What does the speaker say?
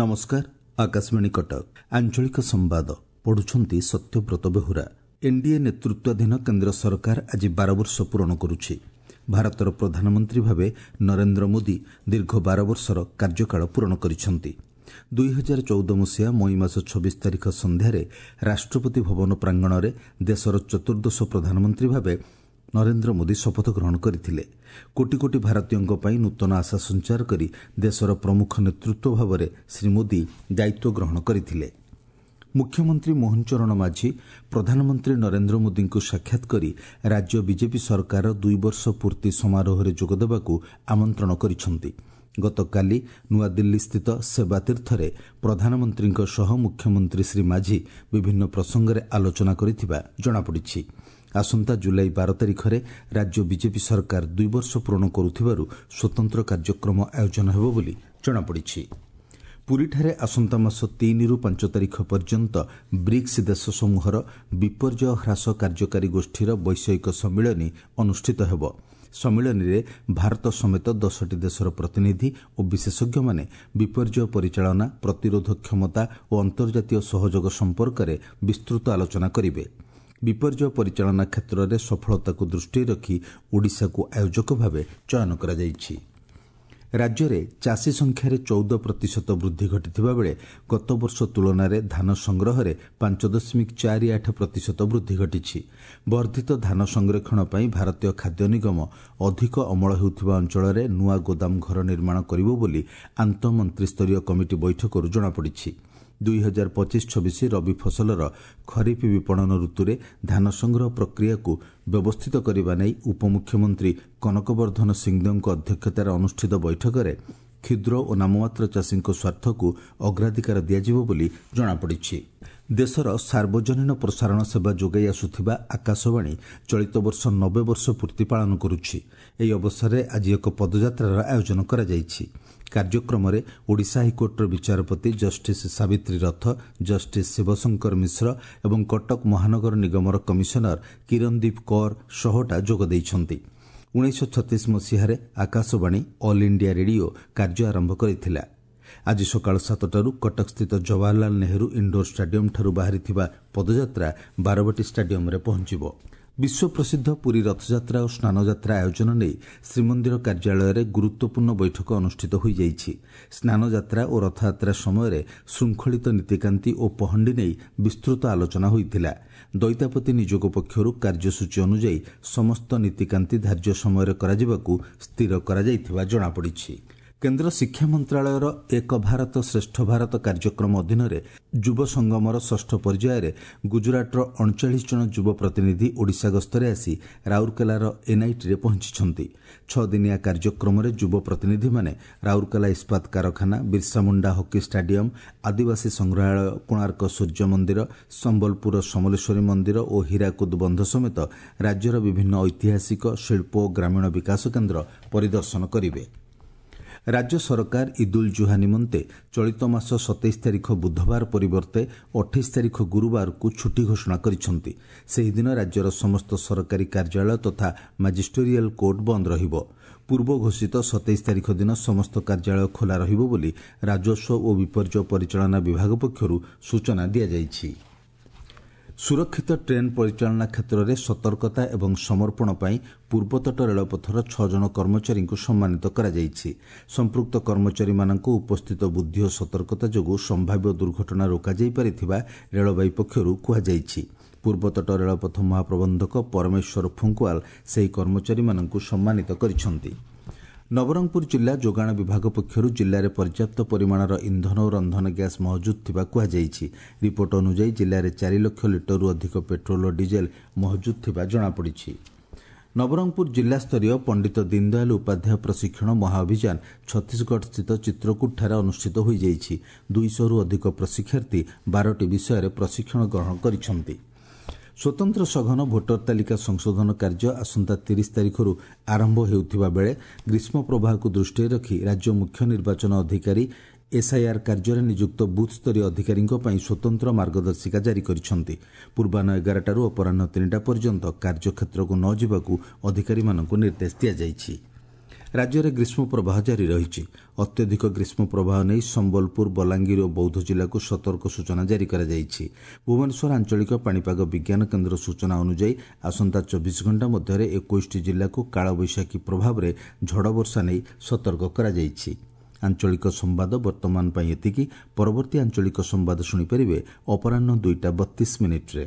ନମସ୍କାର, ଆକାଶବାଣୀ କଟକ, ଆଞ୍ଚଳିକ ସମ୍ବାଦ ପଢୁଛନ୍ତି ସତ୍ୟବ୍ରତ ବେହୁରା। ଏନ୍ଡିଏ ନେତୃତ୍ୱାଧୀନ କେନ୍ଦ୍ର ସରକାର ଆଜି 12 ବର୍ଷ ପୂରଣ କରୁଛି। ଭାରତର ପ୍ରଧାନମନ୍ତ୍ରୀ ଭାବେ ନରେନ୍ଦ୍ର ମୋଦି ଦୀର୍ଘ 12 ବର୍ଷର କାର୍ଯ୍ୟକାଳ ପୂରଣ କରିଛନ୍ତି। 2014 ମସିହା ମଇ ମାସ 26 ତାରିଖ ସନ୍ଧ୍ୟାରେ ରାଷ୍ଟ୍ରପତି ଭବନ ପ୍ରାଙ୍ଗଣରେ ଦେଶର ଚତୁର୍ଦ୍ଦଶ ପ୍ରଧାନମନ୍ତ୍ରୀ ଭାବେ ନରେନ୍ଦ୍ର ମୋଦି ଶପଥ ଗ୍ରହଣ କରିଥିଲେ। କୋଟି କୋଟି ଭାରତୀୟଙ୍କ ପାଇଁ ନୂତନ ଆଶା ସଞ୍ଚାର କରି ଦେଶର ପ୍ରମୁଖ ନେତୃତ୍ୱ ଭାବରେ ଶ୍ରୀ ମୋଦି ଦାୟିତ୍ୱ ଗ୍ରହଣ କରିଥିଲେ। ମୁଖ୍ୟମନ୍ତ୍ରୀ ମୋହନ ଚରଣ ମାଝୀ ପ୍ରଧାନମନ୍ତ୍ରୀ ନରେନ୍ଦ୍ର ମୋଦିଙ୍କୁ ସାକ୍ଷାତ କରି ରାଜ୍ୟ ବିଜେପି ସରକାରର 2 ବର୍ଷ ପୂର୍ତ୍ତି ସମାରୋହରେ ଯୋଗଦେବାକୁ ଆମନ୍ତ୍ରଣ କରିଛନ୍ତି। ଗତକାଲି ନୂଆଦିଲ୍ଲୀସ୍ଥିତ ସେବାତୀର୍ଥରେ ପ୍ରଧାନମନ୍ତ୍ରୀଙ୍କ ସହ ମୁଖ୍ୟମନ୍ତ୍ରୀ ଶ୍ରୀ ମାଝୀ ବିଭିନ୍ନ ପ୍ରସଙ୍ଗରେ ଆଲୋଚନା କରିଥିବା ଜଣାପଡ଼ିଛି। ଆସନ୍ତା ଜୁଲାଇ 12 ତାରିଖରେ ରାଜ୍ୟ ବିଜେପି ସରକାର 2 ବର୍ଷ ପୂରଣ କରୁଥିବାରୁ ସ୍ୱତନ୍ତ୍ର କାର୍ଯ୍ୟକ୍ରମ ଆୟୋଜନ ହେବ ବୋଲି ଜଣାପଡ଼ିଛି। ପୁରୀଠାରେ ଆସନ୍ତା ମାସ 3ରୁ 5 ତାରିଖ ପର୍ଯ୍ୟନ୍ତ ବ୍ରିକ୍ସ ଦେଶ ସମୂହର ବିପର୍ଯ୍ୟୟ ହ୍ରାସ କାର୍ଯ୍ୟକାରୀ ଗୋଷ୍ଠୀର ବୈଷୟିକ ସମ୍ମିଳନୀ ଅନୁଷ୍ଠିତ ହେବ। ସମ୍ମିଳନୀରେ ଭାରତ ସମେତ 10ଟି ଦେଶର ପ୍ରତିନିଧି ଓ ବିଶେଷଜ୍ଞମାନେ ବିପର୍ଯ୍ୟୟ ପରିଚାଳନା, ପ୍ରତିରୋଧ କ୍ଷମତା ଓ ଅନ୍ତର୍ଜାତୀୟ ସହଯୋଗ ସମ୍ପର୍କରେ ବିସ୍ତୃତ ଆଲୋଚନା କରିବେ। ବିପର୍ଯ୍ୟୟ ପରିଚାଳନା କ୍ଷେତ୍ରରେ ସଫଳତାକୁ ଦୃଷ୍ଟିରେ ରଖି ଓଡ଼ିଶାକୁ ଆୟୋଜକ ଭାବେ ଚୟନ କରାଯାଇଛି। ରାଜ୍ୟରେ ଚାଷୀ ସଂଖ୍ୟାରେ 14% ବୃଦ୍ଧି ଘଟିଥିବା ବେଳେ ଗତବର୍ଷ ତୁଳନାରେ ଧାନ ସଂଗ୍ରହରେ 5.48% ବୃଦ୍ଧି ଘଟିଛି। ବର୍ଦ୍ଧିତ ଧାନ ସଂରକ୍ଷଣ ପାଇଁ ଭାରତୀୟ ଖାଦ୍ୟ ନିଗମ ଅଧିକ ଅମଳ ହେଉଥିବା ଅଞ୍ଚଳରେ ନୂଆ ଗୋଦାମ ଘର ନିର୍ମାଣ କରିବ ବୋଲି ଆନ୍ତଃମନ୍ତ୍ରୀସ୍ତରୀୟ କମିଟି ବୈଠକରୁ ଜଣାପଡ଼ିଛି। 2025-26 ରବି ଫସଲର ଖରିଫ ବିପଣନ ଋତୁରେ ଧାନ ସଂଗ୍ରହ ପ୍ରକ୍ରିୟାକୁ ବ୍ୟବସ୍ଥିତ କରିବା ନେଇ ଉପମୁଖ୍ୟମନ୍ତ୍ରୀ କନକବର୍ଦ୍ଧନ ସିଂଦେଓଙ୍କ ଅଧ୍ୟକ୍ଷତାରେ ଅନୁଷ୍ଠିତ ବୈଠକରେ କ୍ଷୁଦ୍ର ଓ ନାମମାତ୍ର ଚାଷୀଙ୍କ ସ୍ୱାର୍ଥକୁ ଅଗ୍ରାଧିକାର ଦିଆଯିବ ବୋଲି ଜଣାପଡ଼ିଛି। ଦେଶର ସାର୍ବଜନୀନ ପ୍ରସାରଣ ସେବା ଯୋଗାଇ ଆସୁଥିବା ଆକାଶବାଣୀ ଚଳିତ ବର୍ଷ 90 ବର୍ଷ ପୂର୍ତ୍ତି ପାଳନ କରୁଛି। ଏହି ଅବସରରେ ଆଜି ଏକ ପଦଯାତ୍ରାର ଆୟୋଜନ କରାଯାଇଛି। କାର୍ଯ୍ୟକ୍ରମରେ ଓଡ଼ିଶା ହାଇକୋର୍ଟର ବିଚାରପତି ଜଷ୍ଟିସ୍ ସାବିତ୍ରୀ ରଥ, ଜଷ୍ଟିସ୍ ଶିବଶଙ୍କର ମିଶ୍ର ଏବଂ କଟକ ମହାନଗର ନିଗମର କମିଶନର କିରଣଦୀପ କୌର ସହଟା ଯୋଗ ଦେଇଛନ୍ତି। 1936 ମସିହାରେ ଆକାଶବାଣୀ ଅଲ୍ ଇଣ୍ଡିଆ ରେଡିଓ କାର୍ଯ୍ୟ ଆରମ୍ଭ କରିଥିଲା। ଆଜି ସକାଳ 7ଟାରୁ କଟକସ୍ଥିତ ଜବାହରଲାଲ ନେହେରୁ ଇଣ୍ଡୋର ଷ୍ଟାଡିୟମଠାରୁ ବାହାରିଥିବା ପଦଯାତ୍ରା ବାରବାଟୀ ଷ୍ଟାଡିୟମରେ ପହଞ୍ଚିବ। ବିଶ୍ୱପ୍ରସିଦ୍ଧ ପୁରୀ ରଥଯାତ୍ରା ଓ ସ୍ନାନଯାତ୍ରା ଆୟୋଜନ ନେଇ ଶ୍ରୀମନ୍ଦିର କାର୍ଯ୍ୟାଳୟରେ ଗୁରୁତ୍ୱପୂର୍ଣ୍ଣ ବୈଠକ ଅନୁଷ୍ଠିତ ହୋଇଯାଇଛି। ସ୍ନାନଯାତ୍ରା ଓ ରଥଯାତ୍ରା ସମୟରେ ଶୃଙ୍ଖଳିତ ନୀତିକାନ୍ତି ଓ ପହଣ୍ଡି ନେଇ ବିସ୍ତୃତ ଆଲୋଚନା ହୋଇଥିଲା। ଦଇତାପତି ନିଯୋଗ ପକ୍ଷରୁ କାର୍ଯ୍ୟସୂଚୀ ଅନୁଯାୟୀ ସମସ୍ତ ନୀତିକାନ୍ତି ଧାର୍ଯ୍ୟ ସମୟରେ କରାଯିବାକୁ ସ୍ଥିର କରାଯାଇଥିବା ଜଣାପଡ଼ିଛି। କେନ୍ଦ୍ର ଶିକ୍ଷା ମନ୍ତ୍ରଣାଳୟର ଏକ ଭାରତ ଶ୍ରେଷ୍ଠ ଭାରତ କାର୍ଯ୍ୟକ୍ରମ ଅଧୀନରେ ଯୁବ ସଙ୍ଗମର ଷଷ୍ଠ ପର୍ଯ୍ୟାୟରେ ଗୁଜରାଟର 39 ଜଣ ଯୁବ ପ୍ରତିନିଧି ଓଡ଼ିଶା ଗସ୍ତରେ ଆସି ରାଉରକେଲାର ଏନ୍ଆଇଟିରେ ପହଞ୍ଚିଛନ୍ତି। 6 ଦିନିଆ କାର୍ଯ୍ୟକ୍ରମରେ ଯୁବ ପ୍ରତିନିଧିମାନେ ରାଉରକେଲା ଇସ୍ପାତ କାରଖାନା, ବିର୍ସାମୁଣ୍ଡା ହକି ଷ୍ଟାଡିୟମ, ଆଦିବାସୀ ସଂଗ୍ରହାଳୟ, କୋଣାର୍କ ସୂର୍ଯ୍ୟ ମନ୍ଦିର, ସମ୍ବଲପୁରର ସମଲେଶ୍ୱରୀ ମନ୍ଦିର ଓ ହୀରାକୁଦ ବନ୍ଧ ସମେତ ରାଜ୍ୟର ବିଭିନ୍ନ ଐତିହାସିକ, ଶିଳ୍ପ ଓ ଗ୍ରାମୀଣ ବିକାଶ କେନ୍ଦ୍ର ପରିଦର୍ଶନ କରିବେ। ରାଜ୍ୟ ସରକାର ଇଦ୍ ଉଲ୍ ଜୁହା ନିମନ୍ତେ ଚଳିତ ମାସ 27 ତାରିଖ ବୁଧବାର ପରିବର୍ତ୍ତେ 28 ତାରିଖ ଗୁରୁବାରକୁ ଛୁଟି ଘୋଷଣା କରିଛନ୍ତି। ସେହିଦିନ ରାଜ୍ୟର ସମସ୍ତ ସରକାରୀ କାର୍ଯ୍ୟାଳୟ ତଥା ମାଜିଷ୍ଟୋରିଆଲ କୋର୍ଟ ବନ୍ଦ ରହିବ। ପୂର୍ବ ଘୋଷିତ 27 ତାରିଖ ଦିନ ସମସ୍ତ କାର୍ଯ୍ୟାଳୟ ଖୋଲା ରହିବ ବୋଲି ରାଜସ୍ୱ ଓ ବିପର୍ଯ୍ୟୟ ପରିଚାଳନା ବିଭାଗ ପକ୍ଷରୁ ସୂଚନା ଦିଆଯାଇଛି। ସୁରକ୍ଷିତ ଟ୍ରେନ୍ ପରିଚାଳନା କ୍ଷେତ୍ରରେ ସତର୍କତା ଏବଂ ସମର୍ପଣ ପାଇଁ ପୂର୍ବତଟ ରେଳପଥର 6 ଜଣ କର୍ମଚାରୀଙ୍କୁ ସମ୍ମାନିତ କରାଯାଇଛି। ସମ୍ପୃକ୍ତ କର୍ମଚାରୀମାନଙ୍କ ଉପସ୍ଥିତ ବୁଦ୍ଧି ଓ ସତର୍କତା ଯୋଗୁଁ ସମ୍ଭାବ୍ୟ ଦୁର୍ଘଟଣା ରୋକାଯାଇପାରିଥିବା ରେଳବାଇ ପକ୍ଷରୁ କୁହାଯାଇଛି। ପୂର୍ବତଟ ରେଳପଥ ମହାପ୍ରବନ୍ଧକ ପରମେଶ୍ୱର ଫୁଙ୍କୁଆଲ ସେହି କର୍ମଚାରୀମାନଙ୍କୁ ସମ୍ମାନିତ କରିଛନ୍ତି। ନବରଙ୍ଗପୁର ଜିଲ୍ଲା ଯୋଗାଣ ବିଭାଗ ପକ୍ଷରୁ ଜିଲ୍ଲାରେ ପର୍ଯ୍ୟାପ୍ତ ପରିମାଣର ଇନ୍ଧନ ଓ ରନ୍ଧନ ଗ୍ୟାସ୍ ମହଜୁଦ ଥିବା କୁହାଯାଇଛି। ରିପୋର୍ଟ ଅନୁଯାୟୀ ଜିଲ୍ଲାରେ 4 ଲକ୍ଷ ଲିଟରରୁ ଅଧିକ ପେଟ୍ରୋଲ ଓ ଡିଜେଲ ମହଜୁଦ ଥିବା ଜଣାପଡ଼ିଛି। ନବରଙ୍ଗପୁର ଜିଲ୍ଲାସ୍ତରୀୟ ପଣ୍ଡିତ ଦୀନଦୟାଲ ଉପାଧ୍ୟାୟ ପ୍ରଶିକ୍ଷଣ ମହାଅଭିଯାନ ଛତିଶଗଡ଼ସ୍ଥିତ ଚିତ୍ରକୂଟଠାରେ ଅନୁଷ୍ଠିତ ହୋଇଯାଇଛି। 200ରୁ ଅଧିକ ପ୍ରଶିକ୍ଷାର୍ଥୀ 12ଟି ବିଷୟରେ ପ୍ରଶିକ୍ଷଣ ଗ୍ରହଣ କରିଛନ୍ତି। ସ୍ୱତନ୍ତ୍ର ସଘନ ଭୋଟର ତାଲିକା ସଂଶୋଧନ କାର୍ଯ୍ୟ ଆସନ୍ତା 30 ତାରିଖରୁ ଆରମ୍ଭ ହେଉଥିବା ବେଳେ ଗ୍ରୀଷ୍ମ ପ୍ରବାହକୁ ଦୃଷ୍ଟିରେ ରଖି ରାଜ୍ୟ ମୁଖ୍ୟ ନିର୍ବାଚନ ଅଧିକାରୀ ଏସ୍ଆଇଆର୍ କାର୍ଯ୍ୟରେ ନିଯୁକ୍ତ ବୁଥ୍ସ୍ତରୀୟ ଅଧିକାରୀଙ୍କ ପାଇଁ ସ୍ୱତନ୍ତ୍ର ମାର୍ଗଦର୍ଶିକା ଜାରି କରିଛନ୍ତି। ପୂର୍ବାହ୍ନ 11ଟାରୁ ଅପରାହ୍ନ 3ଟା ପର୍ଯ୍ୟନ୍ତ କାର୍ଯ୍ୟକ୍ଷେତ୍ରକୁ ନ ଯିବାକୁ ଅଧିକାରୀମାନଙ୍କୁ ନିର୍ଦ୍ଦେଶ ଦିଆଯାଇଛି। ରାଜ୍ୟରେ ଗ୍ରୀଷ୍ମ ପ୍ରବାହ ଜାରି ରହିଛି। ଅତ୍ୟଧିକ ଗ୍ରୀଷ୍ମ ପ୍ରବାହ ନେଇ ସମ୍ବଲପୁର, ବଲାଙ୍ଗୀର ଓ ବୌଦ୍ଧ ଜିଲ୍ଲାକୁ ସତର୍କ ସୂଚନା ଜାରି କରାଯାଇଛି। ଭୁବନେଶ୍ୱର ଆଞ୍ଚଳିକ ପାଣିପାଗ ବିଜ୍ଞାନ କେନ୍ଦ୍ର ସୂଚନା ଅନୁଯାୟୀ ଆସନ୍ତା 24 ଘଣ୍ଟା ମଧ୍ୟରେ 21ଟି ଜିଲ୍ଲାକୁ କାଳବୈଶାଖୀ ପ୍ରଭାବରେ ଝଡ଼ବର୍ଷା ନେଇ ସତର୍କ କରାଯାଇଛି। ଆଞ୍ଚଳିକ ସମ୍ବାଦ ବର୍ତ୍ତମାନ ପାଇଁ ଏତିକି। ପରବର୍ତ୍ତୀ ଆଞ୍ଚଳିକ ସମ୍ବାଦ ଶୁଣିପାରିବେ ଅପରାହ୍ନ 2ଟା 32 ମିନିଟ୍ରେ।